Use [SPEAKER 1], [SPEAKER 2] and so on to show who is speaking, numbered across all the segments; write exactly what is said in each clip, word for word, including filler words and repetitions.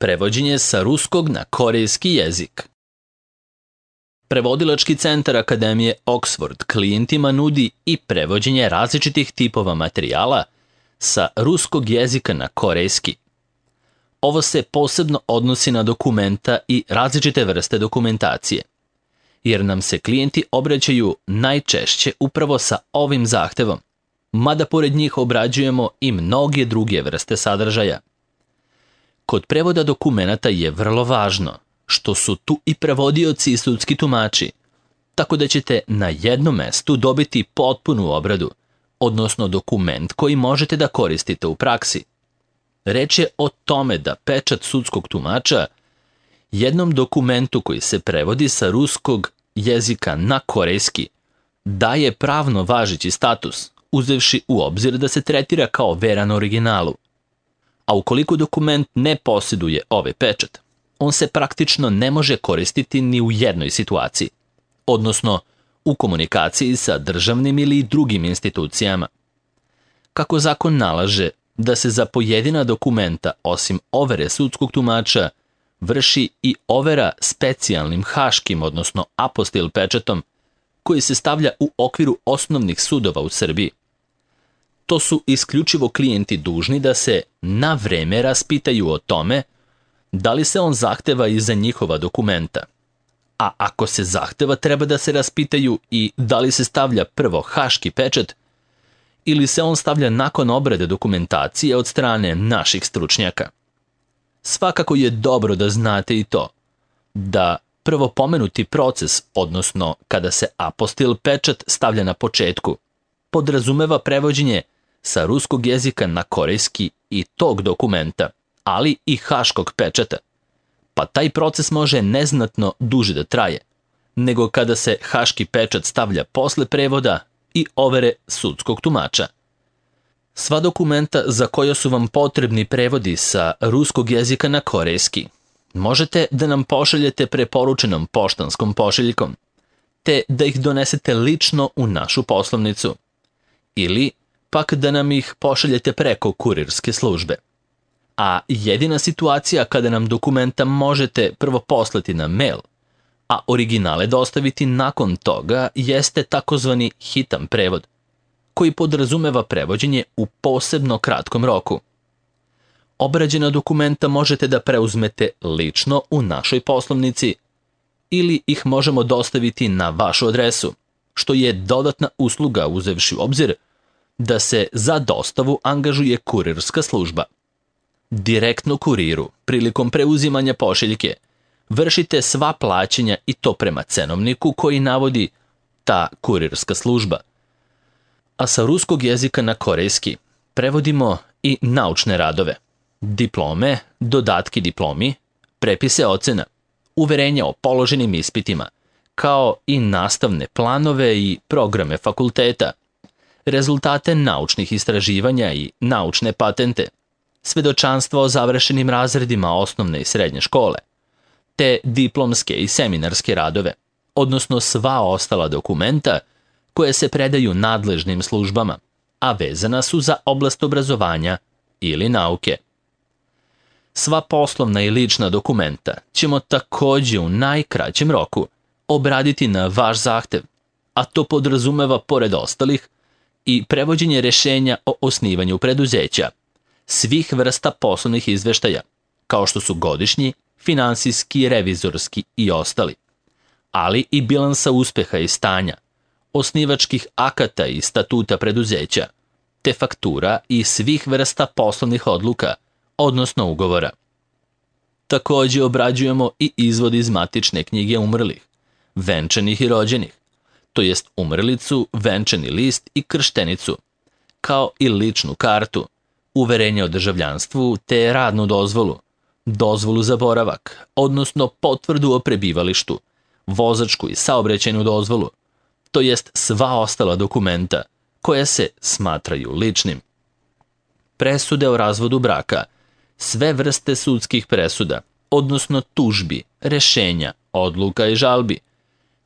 [SPEAKER 1] Prevođenje sa ruskog na korejski jezik. Prevodilački centar Akademije Oxford klijentima nudi i prevođenje različitih tipova materijala sa ruskog jezika na korejski. Ovo se posebno odnosi na dokumenta i različite vrste dokumentacije, jer nam se klijenti obraćaju najčešće upravo sa ovim zahtevom, mada pored njih obrađujemo i mnoge druge vrste sadržaja. Kod prevoda dokumenata je vrlo važno što su tu i prevodioci i sudski tumači, tako da ćete na jednom mestu dobiti potpunu obradu, odnosno dokument koji možete da koristite u praksi. Reč je o tome da pečat sudskog tumača jednom dokumentu koji se prevodi sa ruskog jezika na korejski daje pravno važeći status, uzevši u obzir da se tretira kao veran originalu. A ukoliko dokument ne posjeduje ovaj pečat, on se praktično ne može koristiti ni u jednoj situaciji, odnosno u komunikaciji sa državnim ili drugim institucijama. Kako zakon nalaže da se za pojedina dokumenta, osim overe sudskog tumača, vrši i overa specijalnim haškim, odnosno apostil pečatom, koji se stavlja u okviru osnovnih sudova u Srbiji. To su isključivo klijenti dužni da se na vreme raspitaju o tome da li se on zahteva i za njihova dokumenta. A ako se zahteva, treba da se raspitaju i da li se stavlja prvo haški pečat ili se on stavlja nakon obrade dokumentacije od strane naših stručnjaka. Svakako je dobro da znate i to, da prvo pomenuti proces, odnosno kada se apostil pečat stavlja na početku, podrazumeva prevođenje sa ruskog jezika na korejski i tog dokumenta, ali i haškog pečata, pa taj proces može neznatno duže da traje, nego kada se haški pečat stavlja posle prevoda i overe sudskog tumača. Sva dokumenta za koja su vam potrebni prevodi sa ruskog jezika na korejski možete da nam pošaljete preporučenom poštanskom pošiljkom, te da ih donesete lično u našu poslovnicu, ili pak da nam ih pošaljete preko kurirske službe. A jedina situacija kada nam dokumenta možete prvo poslati na mail, a originale dostaviti nakon toga, jeste takozvani hitan prevod, koji podrazumeva prevođenje u posebno kratkom roku. Obrađena dokumenta možete da preuzmete lično u našoj poslovnici ili ih možemo dostaviti na vašu adresu, što je dodatna usluga uzevši u obzir da se za dostavu angažuje kurirska služba. Direktno kuriru, prilikom preuzimanja pošiljke, vršite sva plaćanja i to prema cenovniku koji navodi ta kurirska služba. A sa ruskog jezika na korejski prevodimo i naučne radove, diplome, dodatki diplomi, prepise ocena, uverenja o položenim ispitima, kao i nastavne planove i programe fakulteta, rezultate naučnih istraživanja i naučne patente, svedočanstva o završenim razredima osnovne i srednje škole, te diplomske i seminarske radove, odnosno sva ostala dokumenta koje se predaju nadležnim službama, a vezana su za oblast obrazovanja ili nauke. Sva poslovna i lična dokumenta ćemo takođe u najkraćem roku obraditi na vaš zahtev, a to podrazumeva pored ostalih i prevođenje rešenja o osnivanju preduzeća, svih vrsta poslovnih izveštaja, kao što su godišnji, finansijski, revizorski i ostali, ali i bilansa uspeha i stanja, osnivačkih akata i statuta preduzeća, te faktura i svih vrsta poslovnih odluka, odnosno ugovora. Takođe obrađujemo i izvod iz matične knjige umrlih, venčanih i rođenih, to jest umrlicu, venčani list i krštenicu, kao i ličnu kartu, uverenje o državljanstvu te radnu dozvolu, dozvolu za boravak, odnosno potvrdu o prebivalištu, vozačku i saobraćajnu dozvolu, to jest sva ostala dokumenta koja se smatraju ličnim. Presude o razvodu braka, sve vrste sudskih presuda, odnosno tužbi, rešenja, odluka i žalbi,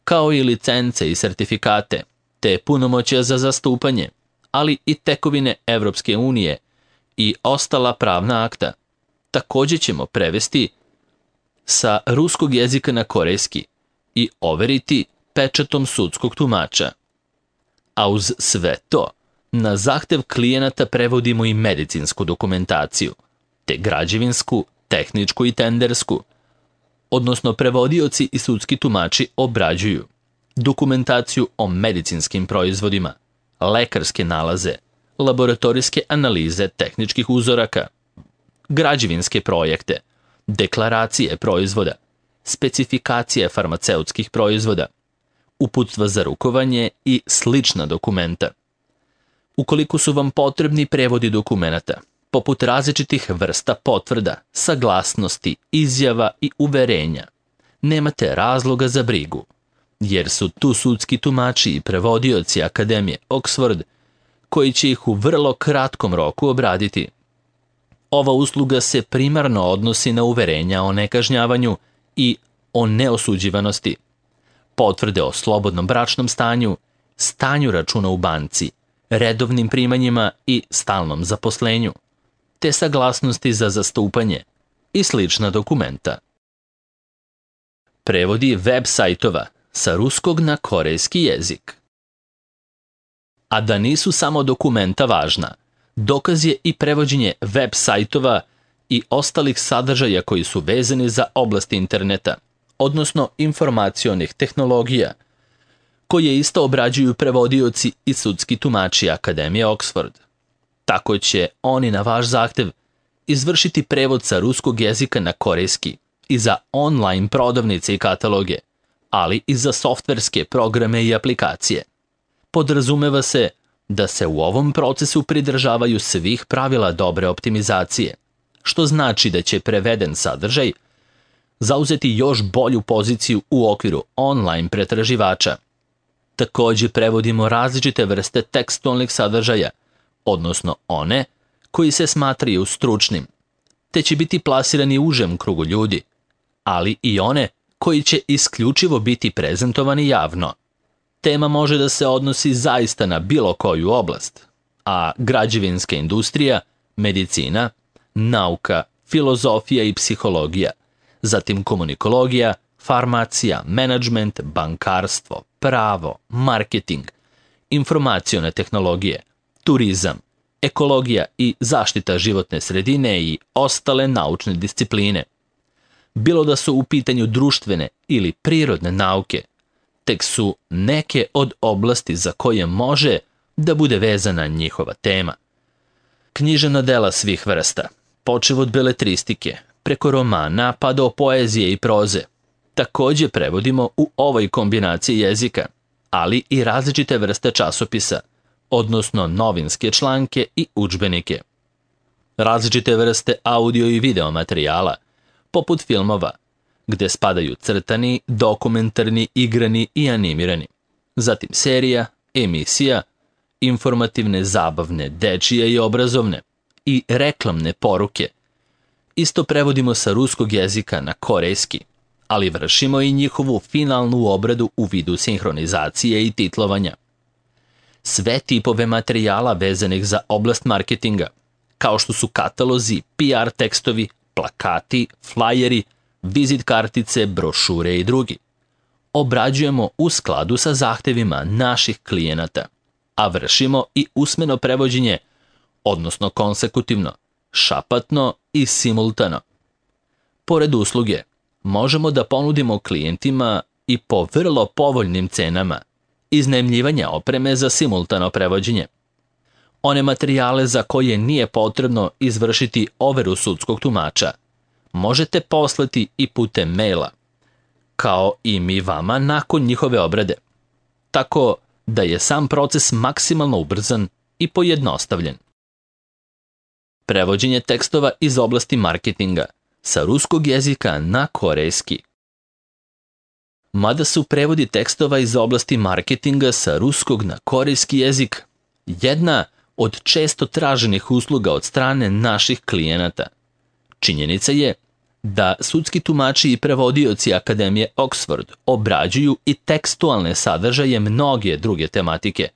[SPEAKER 1] kao i licence i sertifikate, te punomoćja za zastupanje, ali i tekovine Evropske unije i ostala pravna akta, također ćemo prevesti sa ruskog jezika na korejski i overiti pečatom sudskog tumača. A uz sve to, na zahtev klijenata prevodimo i medicinsku dokumentaciju, te građevinsku, tehničku i tendersku, odnosno prevodioci i sudski tumači obrađuju dokumentaciju o medicinskim proizvodima, lekarske nalaze, laboratorijske analize tehničkih uzoraka, građevinske projekte, deklaracije proizvoda, specifikacije farmaceutskih proizvoda, uputstva za rukovanje i slična dokumenta. Ukoliko su vam potrebni prevodi dokumenata, poput različitih vrsta potvrda, saglasnosti, izjava i uverenja, nemate razloga za brigu, jer su tu sudski tumači i prevodioci Akademije Oxford koji će ih u vrlo kratkom roku obraditi. Ova usluga se primarno odnosi na uverenja o nekažnjavanju i o neosuđivanosti, potvrde o slobodnom bračnom stanju, stanju računa u banci, redovnim primanjima i stalnom zaposlenju, te saglasnosti za zastupanje i slična dokumenta. Prevodi web sajtova sa ruskog na korejski jezik. A da nisu samo dokumenta važna, dokaz je i prevođenje web sajtova i ostalih sadržaja koji su vezani za oblast interneta, odnosno informacionih tehnologija, koje isto obrađuju prevodioci i sudski tumači Akademije Oxford. Tako će oni na vaš zahtev izvršiti prevod sa ruskog jezika na korejski i za online prodavnice i kataloge, ali i za softverske programe i aplikacije. Podrazumeva se da se u ovom procesu pridržavaju svih pravila dobre optimizacije, što znači da će preveden sadržaj zauzeti još bolju poziciju u okviru online pretraživača. Također prevodimo različite vrste tekstualnih sadržaja, odnosno one koji se smatraju stručnim, te će biti plasirani užem krugu ljudi, ali i one koji će isključivo biti prezentovani javno. Tema može da se odnosi zaista na bilo koju oblast, a građevinska industrija, medicina, nauka, filozofija i psihologija, zatim komunikologija, farmacija, menadžment, bankarstvo, pravo, marketing, informacione tehnologije, turizam, ekologija i zaštita životne sredine i ostale naučne discipline. Bilo da su u pitanju društvene ili prirodne nauke, tek su neke od oblasti za koje može da bude vezana njihova tema. Književna dela svih vrsta, počev od beletristike, preko romana pa do poezije i proze, također prevodimo u ovoj kombinaciji jezika, ali i različite vrste časopisa, odnosno novinske članke i udžbenike. Različite vrste audio i video materijala, poput filmova, gde spadaju crtani, dokumentarni, igrani i animirani, zatim serija, emisija, informativne, zabavne, dečije i obrazovne i reklamne poruke. Isto prevodimo sa ruskog jezika na korejski, ali vršimo i njihovu finalnu obradu u vidu sinhronizacije i titlovanja. Sve tipove materijala vezanih za oblast marketinga, kao što su katalozi, P R tekstovi, plakati, flajeri, vizit kartice, brošure i drugi, obrađujemo u skladu sa zahtevima naših klijenata, a vršimo i usmeno prevođenje, odnosno konsekutivno, šapatno i simultano. Pored usluge, možemo da ponudimo klijentima i po vrlo povoljnim cenama iznajmljivanja opreme za simultano prevođenje. One materijale za koje nije potrebno izvršiti overu sudskog tumača možete poslati i putem maila, kao i mi vama nakon njihove obrade, tako da je sam proces maksimalno ubrzan i pojednostavljen. Prevođenje tekstova iz oblasti marketinga sa ruskog jezika na korejski. Mada su prevodi tekstova iz oblasti marketinga sa ruskog na korejski jezik jedna od često traženih usluga od strane naših klijenata, činjenica je da sudski tumači i prevodioci Akademije Oxford obrađuju i tekstualne sadržaje mnoge druge tematike.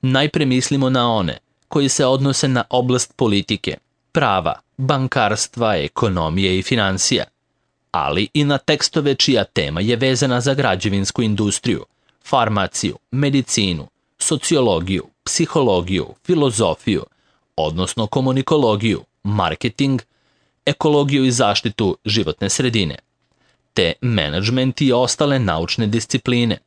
[SPEAKER 1] Najpre mislimo na one koji se odnose na oblast politike, prava, bankarstva, ekonomije i financija, ali i na tekstove čija tema je vezana za građevinsku industriju, farmaciju, medicinu, sociologiju, psihologiju, filozofiju, odnosno komunikologiju, marketing, ekologiju i zaštitu životne sredine, te menadžment i ostale naučne discipline.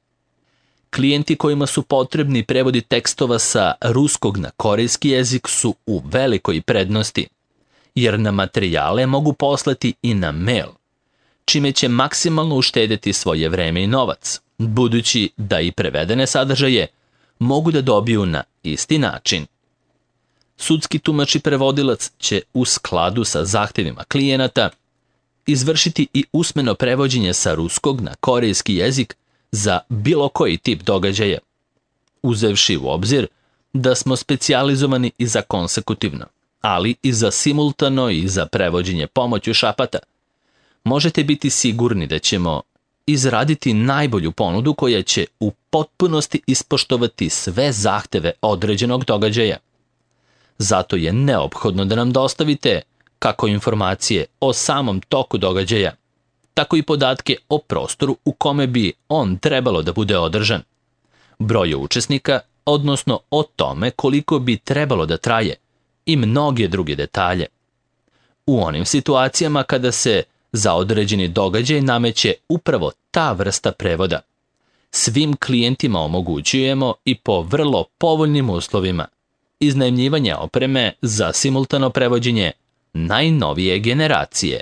[SPEAKER 1] Klijenti kojima su potrebni prevodi tekstova sa ruskog na korejski jezik su u velikoj prednosti, jer na materijale mogu poslati i na mail, čime će maksimalno uštedeti svoje vreme i novac, budući da i prevedene sadržaje mogu da dobiju na isti način. Sudski tumač i prevodilac će u skladu sa zahtevima klijenata izvršiti i usmeno prevođenje sa ruskog na korejski jezik za bilo koji tip događaja, uzevši u obzir da smo specijalizovani i za konsekutivno, ali i za simultano i za prevođenje pomoću šapata. Možete biti sigurni da ćemo izraditi najbolju ponudu koja će u potpunosti ispoštovati sve zahteve određenog događaja. Zato je neophodno da nam dostavite kako informacije o samom toku događaja, tako i podatke o prostoru u kome bi on trebalo da bude održan, broju učesnika, odnosno o tome koliko bi trebalo da traje i mnoge druge detalje. U onim situacijama kada se za određeni događaj nameće upravo ta vrsta prevoda, svim klijentima omogućujemo i po vrlo povoljnim uslovima iznajmljivanje opreme za simultano prevođenje najnovije generacije.